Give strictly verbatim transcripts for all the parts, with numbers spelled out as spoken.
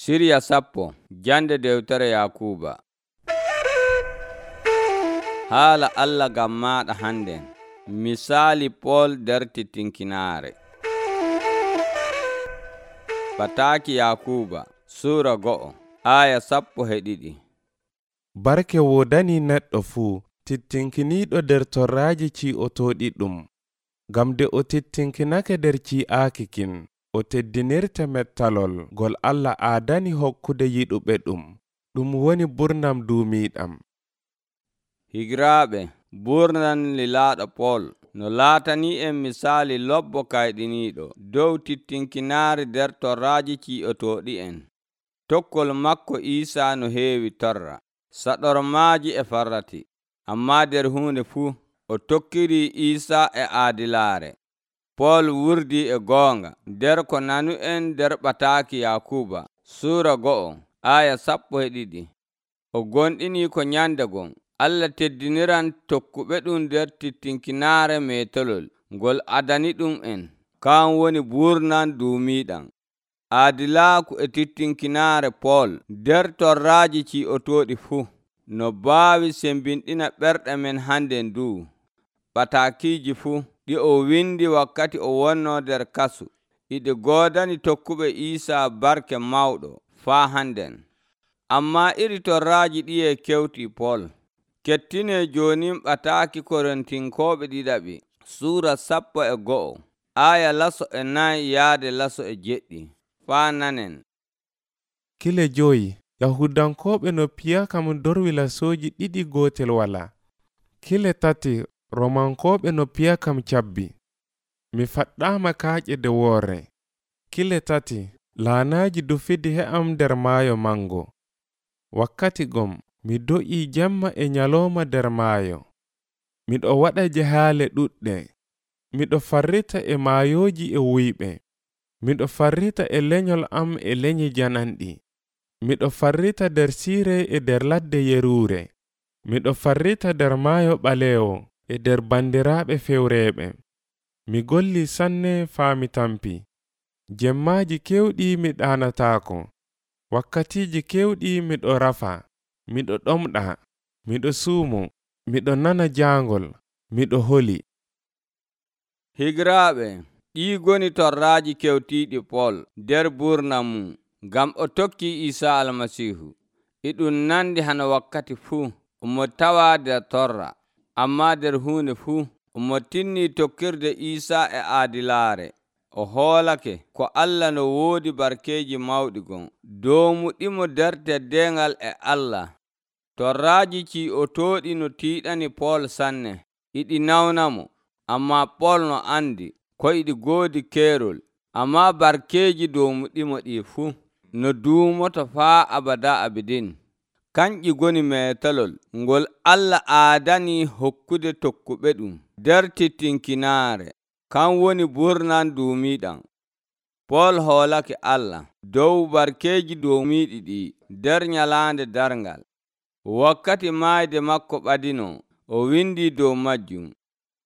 Siriya sappo jande dewtere Yakuba. Haala Allah gam maɗa handen. Misali Pol der titinkinaare. Bataki Yakuba Sura go'o aya sappo he ɗiɗi. Barke wodani neɗɗo fuu tittinkiniiɗo nder torraaji ci'otooɗi ɗum. Ngam de o tittinkinake nder ci'aaki kin, o teddinirta mettalol gol Allah aadani hokkude yiɗuɓe ɗum, ɗum woni burnam duumiiɗam. Higiraaɓe, burnan lilaaɗo Pol no laatani en misali lobbo kayɗiniiɗo dow tittinkinaare nder torraaji ci'otooɗi en. Tokkol makko Iisa no heewi torra, saɗormaaji e farrati, ammaa nder huunde fuu o tokkiri Iisa e aadilaare. Pol wurdi e goonga nder ko nanu en nder ɓataaki Yakuba Sura go'o aya sappo e ɗiɗi. O gonɗini ko nyande gon Allah teddiniran tokkuɓe ɗum nder tittinkinaare meetolol ngol adani ɗum en, kan woni burnan duumiiɗam. Aadilaaku e tittinkinaare Pol nder torraaji ci'otooɗi fuu no baawi sembinɗina ɓerɗe men handen du. Ɓataakiiji fuu ɗi o windi wakkati o wonno nder kasu iɗi goodani tokkuɓe Iisa barke mawɗo faa handen. Ammaa iri torraaji ɗiye kewtii Pol. Kettine jooni ɓataaki Korintinkooɓe ɗiɗaɓi Suura sappo e go'o aya laso e nayi yaade laso e jeɗɗi. Faa nanen. Kile joyi Yahudankooɓe no piya kam dorwi lasooji ɗiɗi gootel wala. Kile tati Romankooɓe no piya kam cabbi. Mi faɗɗaama kaaƴe de woore. Kile tati laanaaji dufidi he'am nder maayo mango. Wakkati gom mi do'ii jemma e nyalooma nder maayo. Miɗo waɗa jahaale ɗuɗɗe. Miɗo farrita e maayooji e wuyɓe. Miɗo farrita e lenyol am e lenyi jananɗi. Miɗo farrita nder siire e nder ladde yeruure. Miɗo farrita nder maayo ɓaleewo e nder bandiraaɓe fewreeɓe. Mi golli sanne faa mi tampi. Jemmaaji kewɗi mi ɗaanataako. Wakkatiiji kewɗi miɗo rafa. Miɗo ɗomɗa. Miɗo suumo. Miɗo nana jaangol. Miɗo holi. Higiraaɓe, ɗii goni torraaji kewtiiɗi Pol nder burnam mum ngam o tokki Iisa Almasiihu. E ɗum nandi hana wakkati fuu omo tawa nder torra, ammaa nder huunde fuu omo tinni tokkirde Iisa e aadilaare. O hoolake ko Allah no woodi barkeeji mawɗi gon doomuɗimo nder teddengal e Allah. Torraaji ci'otooɗi no tiiɗani Pol sanne, iɗi nawnamo, ammaa Pol no andi ko iɗi goodi keerol, ammaa barkeeji doomuɗimo ɗi fuu no duumoto faa abada abidin. Kanƴi goni meetolol ngol Allah aadani hokkude tokkuɓe ɗum nder tittinkinaare, kan woni burnan duumiiɗam. Pol hoolake Allah dow barkeeji doomiiɗi ɗi nder nyalaande darngal. Wakkati maayde makko ɓadino, o windi dow majjum.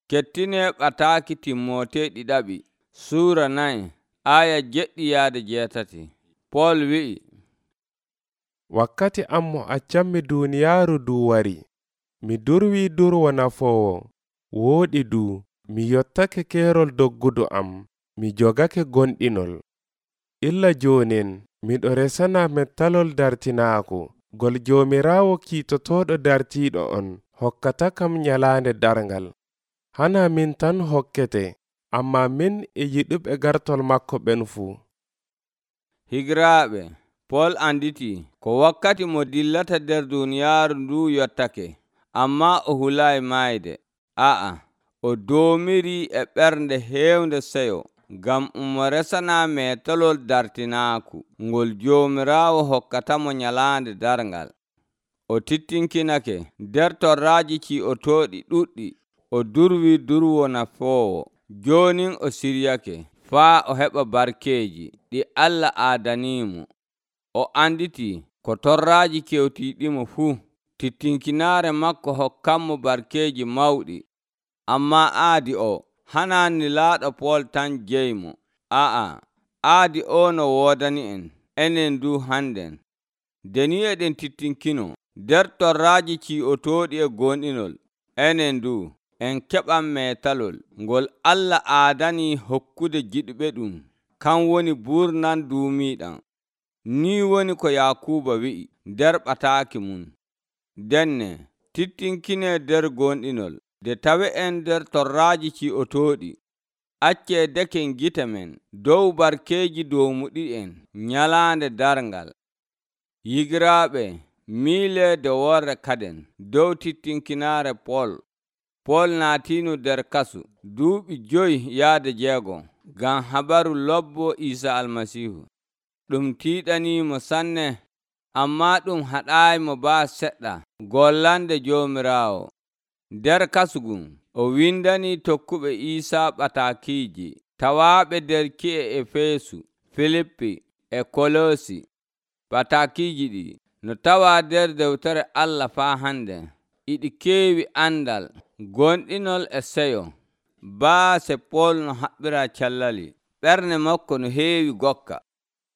Kettine ɓataaki Timmote ɗiɗaɓi Suura nayi aya jeɗɗi yaade jeetati. Pol wi'i, wakkati am mo accammi duuniyaaru du wari. Mi durwi durwo nafoowo. Wooɗi du, mi yottake keerol doggudu am. Mi jogake gonɗinol. Illa joonen, miɗo resana mettalol dartinaaku. Gol Joomiraawo kiitotooɗo dartiiɗo on hokkata kam nyalaande darngal. Hana min tan hokkete, ammaa min e yiɗuɓe gartol makko ɓen fuu. Higiraaɓe, Pol anditi ko wakkati mo dillata nder duuniyaaru ndu yottake, ammaa o hulaayi maayde. A'a, o doomiri e ɓernde heewnde seyo ngam omo resana meetolol dartinaaku ngol Joomiraawo hokkatamo nyalaande darngal. O tittinkinake nder torraaji ci'otooɗi ɗuɗɗi. O durwi durwo nafoowo. Joonin o siryake faa o heɓa barkeeji ɗi Allah aadanimo. O anditi ko torraaji kewtiiɗimo fuu tittinkinaare makko hokkanmo barkeeji mawɗi. Ammaa aadi o hana nilaaɗo Pol tan jeymo. A'a, aadi o no woodani en enen du hannden. Deni eɗen tittinkino nder torraaji ci'otooɗi e gonɗinol, enen du en keɓan meetalol ngol Allah aadanii hokkude giɗuɓe ɗum, kan woni buurnan duumiiɗam. Ni woni ko Yaakuuba wi'i nder ɓataaki mum. Denne tittinkinee nder gonɗinol, nde tawe'en nder torraaji ci'otooɗi. Accee deken gite men dow barkeeji doomuɗi'en nyalaande darngal. Yigiraaɓe, miileede worre kaden dow tittinkinaare Pol. Pol naatiino nder kasu duuɓi joyi yaade jeego ngam habaru lobbo Iisa Almasiihu. Ɗum tiiɗaniimo sanne, ammaa ɗum haɗaayimo baa seɗɗa gollande Joomiraawo. Nder kasu ngun o windanii tokkuɓe Iisaa ɓataakiiji tawaaɓe nder ki'e Efeesu, Filippi e Koloosi. Ɓataakiiji ɗi no tawaa nder dewtere Allah faa hande, iɗi keewi andal, gonɗinol e seyo. Baase Pol no haɓɓira cellali, ɓernde makko no heewi gokka.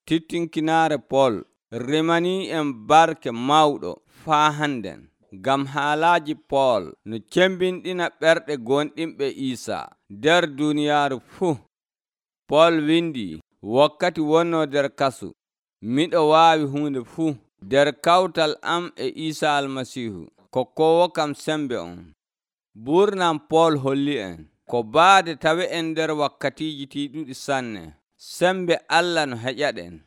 Tittinkinaare Pol rimanii en barke mawɗo faa hannden, ngam haalaaji Pol no cembinɗina ɓerɗe gonɗinɓe Iisaa nder duuniyaaru fuu. Pol windi, wakkati wonnoo nder kasu, miɗo waawi huunde fuu nder kawtal am e Iisa Almasiihu, kokkowo kam sembe on. Buurnam Pol holli en ko baade tawe en nder wakkatiiji tiiɗuɗi sanne, sembe Allah no heƴaɗen.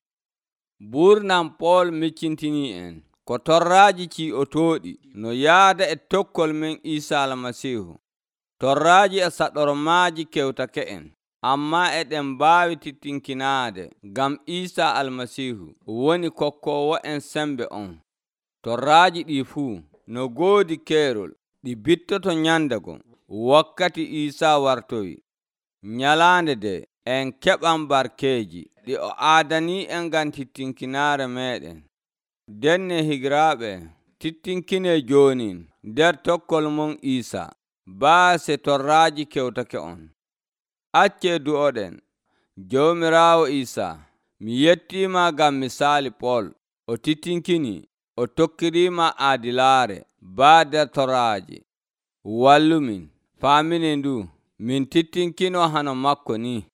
Buurnam Pol miccintinii en ko torraaji ci'otooɗi no yaada e tokkol men Iisa Almasiihu. Torraaji e saɗormaaji kewtake en, ammaa eɗen mbaawi tittinkinaade ngam Iisa Almasiihu woni kokkoowo en sembe on. Torraaji ɗii fuu no goodi keerol, ɗi bittoto nyandego wakkati Iisa wartoyi. Nyalaande de en keɓan barkeeji ɗi o aadanii en ngam tittinkinaare meeɗen. Denne higiraaɓe, tittinkinee jooni nder tokkol mon Iisa, baase torraaji kewtake on. Accee du'oɗen. Joomiraawo Iisa, mi yettiima ngam misaali Pol. O tittinkinii, o tokkiriima aadilaare baa nder torraaji. Wallumin faaminen ndu min tittinkino hano makko ni.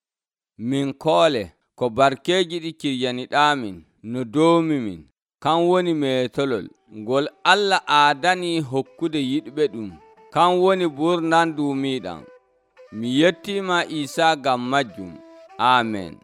Min koole ko barkeeji ɗi ciryaniɗaamin no doomimin, kan woni meetolol ngol Allah aadanii hokkude yiɗɓe ɗum, kan woni buurnan duumiiɗam. Mi yettiima Iisa ngam majjum. Aamen.